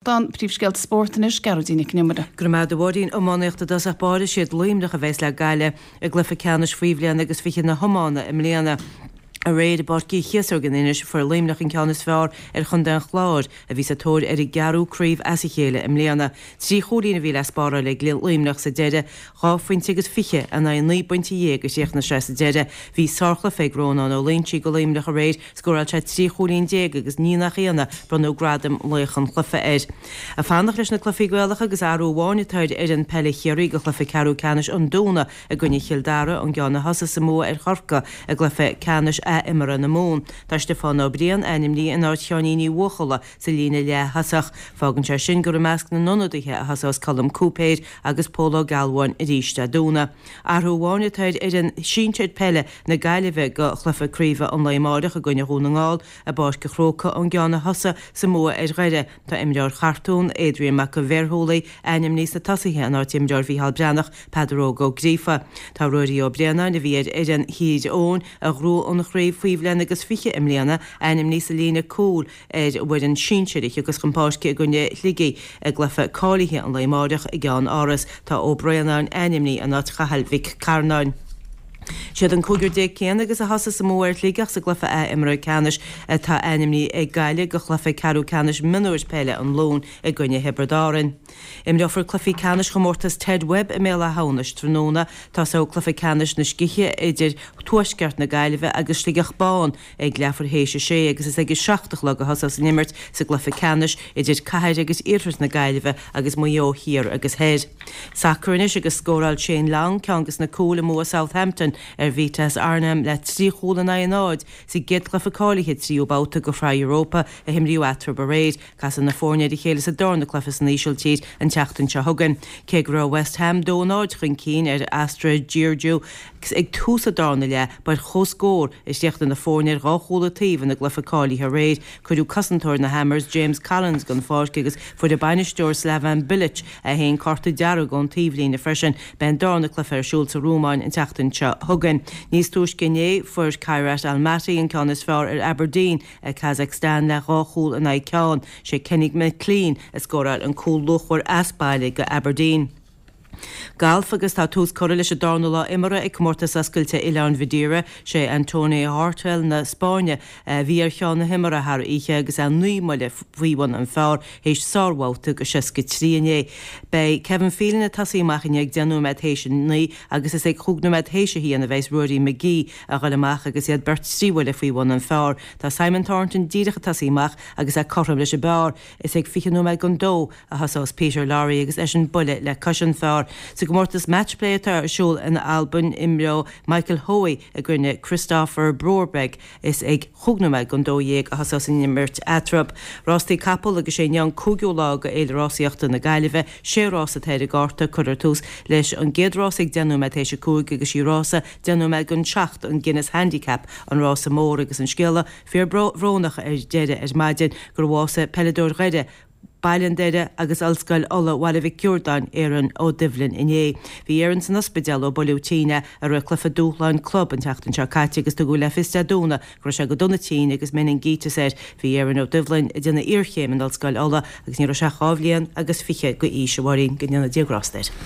Don príomhscéalta spóirt anois, Gearóidín Nic an Iomaire. Go raibh maith agat a Mháirín. Iománaíocht i dtosach báire, siad Luimneach a bheas le Gaillimh i gcluiche ceannais faoi bhliain agus 20 na hiomána i mbliana. Aréir i bPáirc Uí Chíosóg in Inis, fuair Luimneach an ceann is fearr ar chontae an Chláir, a bhí sa tóir ar a gceathrú craobh as a chéile i mbliana. 3 chúilín a bhí le spáráil ag Luimneach sa deireadh, Dhá phointe agus fiche in aghaidh 19 bpointe a chríochnaigh sé sa deireadh. Bhí sárchluiche ag Rónán Ó Loingsigh do Luimneach aréir, scóráil sé 13 chúilín agus ní nach ionadh, bronnadh gradam laoch an chluiche air. Ag fanacht leis na cluichí Gaelacha agus athrú amháin atá ar fhoireann peile Chiarraí do chluiche ceathrú ceannais an Domhnaigh i gcoinne Chill Dara ón gceann a thosaigh sa mbua ar Chorcaigh i gcluiche ceannais ath-imeartha na Mumhan. Tá Stiofán Ó Briain ainmnithe in áit Sheáinín Uí Bhuachalla sa líne leath-thosach. Fágann sé sin gur i measc na n-ionadaithe a thosós Colm Cúipéir agus Pól Ó Gealbháin arís Dé Domhnaigh. Athrú amháin atá ar fhoireann sinsir peile na Gaillimhe do chluiche craoibhe an lae amáireach i gcoinne Dhún na nGall i bPáirc an Chrócaigh ón gceann a thosaigh sa mbua ar Dhoire. Tá imreoir Chartún, Adrian Mac an Bhéarshúlaigh, ainmnithe sna tosaithe in áit imreoir Mhícheál Breathnach, Peadar Óg Ó Gríofa. Tá Ruairí Ó Braonáin, a bhí ar fhoireann Thír Eoghain a ghnóthaigh an chraobh faoi bhliain agus 20 i mbliana, ainmnithe sa líne cúil ar an bhfoireann sinsir a thiocfas chun páirce i gcoinne Shligigh i gcluiche cáilithe an lae amáireach i gCeann Áras. Tá Ó Braonáin ainmnithe in áit Chathail Mhic Carnáin. Siad an cúigear céanna agus a thosaigh sa mbua ar Shligeach sa gcluiche ath-imeartha ceannais atá ainmnithe ag Gaillimh do chluiche ceathrú ceannais mionúir peile an Luain i gcoinne Thiobraid Árann. Imreofar cluichí ceannais chomórtas Ted Webb i mBéal Átha hAmhnais tráthnóna. Tosóidh cluiche ceannais na scíthe idir Tuaisceart na Gaillimhe agus Sligeach Bán ag leathuair théis a sé agus is ag a 7 a chlog a thosós an imirt sa gcluiche ceannais idir Cathair agus Iarthar na Gaillimhe agus Maigh Eo Thiar agus Thoir. Sacar anois agus scóráil Shane Long ceann de na cúil i mbua Southampton ar Vitesse Arnhem le 3 chúl in aghaidh a náid sa gcéad chluiche cáilithe tríú babhta de Shraith Europa a himríodh eatarthu aréir. Casfaidh na foirne ar a chéile sa darna cluiche san Ísiltír an tseachtain seo chugainn. Cé go raibh West Ham 2-0 chun cinn ar Astra Giurgiu ag tús an darna leath, ba ar comhscór a chríochnaigh na foirne ar dhá chúl an taobh ina gcluiche cáilithe aréir. Cuireadh cosantóir na Hammers, James Collins, den pháirc agus fuair a bainisteoir Slaven Bilic é féin cárta dearg ón taobhlíne freisin. Beidh an darna cluiche ar siúl sa Rúmáin an tseachtain seo chugainn. Níos túisce inné, fuair Kairat Almaty an ceann is fearr ar Aberdeen i Kazakhstan le dhá chúl in aghaidh ceann. Sé Kenny McLean a scóráil an cúl luachmhar as baile do Aberdeen. Galf agus tá tús curtha leis an darna lá imeartha ag Comórtas Oscailte Oileáin Mhadeira. Sé Antonio Hortel na Spáinne a bhí ar cheann na himeartha thar oíche agus é 9 mbuille faoi bhun an phar théis sárbhabhta de 63 inné. Beidh Kevin Phelan ag tosaí amach inniu ag 10 nóiméad théis a 9 agus is ag chúig nóiméad théis a haon a bheas Ruairí McGee a dhul amach agus iad beirt trí bhuille faoi bhun an phar. Tá Simon Thornton díreach ag tosaí amach agus é cothrom leis an bpar. Is ag 20 nóiméad don dó a thosós Peter Lawrie agus eisean buille le cois an phar. Sa gcomórtas Matchplay atá ar siúl in Albain imreoidh Michael Hoey i gcoinne Kristoffer Brorberg. Is ag chúig nóiméad don 12 a thosós an imirt eatarthu. Rástaí capall agus sé inniu an cúigiú lá de Fhéile Rásaíochta na Gaillimhe. Sé rás atá ar an gcárta. Cuirfear tús leis an gcéad rás ag 10 nóiméad théis a 5 agus sí rása 10 nóiméad don 7 an Guinness Handicap an rása mór agus an scéala fíor bhrónach ar deireadh ar maidin gur bhásaigh peileadóir Dhoire, Baile an Doire agus Ollscoil Uladh Bhaile Mhic Ciardáin, Aaron Ó Doibhlin inné. Bhí Aaron san ospidéal ó buaileadh tinn é i rith cluiche dúshláin club an tseachtain seo caite agus tugadh le fios Dé Domhnaigh go raibh sé go dona tinn agus meiningíteas air. Bhí Aaron Ó Doibhlin ag déanamh iarchéim in Ollscoil Uladh agus ní raibh sé ach dhá bhliain agus fiche d'aois, a Mháirín, go ndéana Dia grásta air.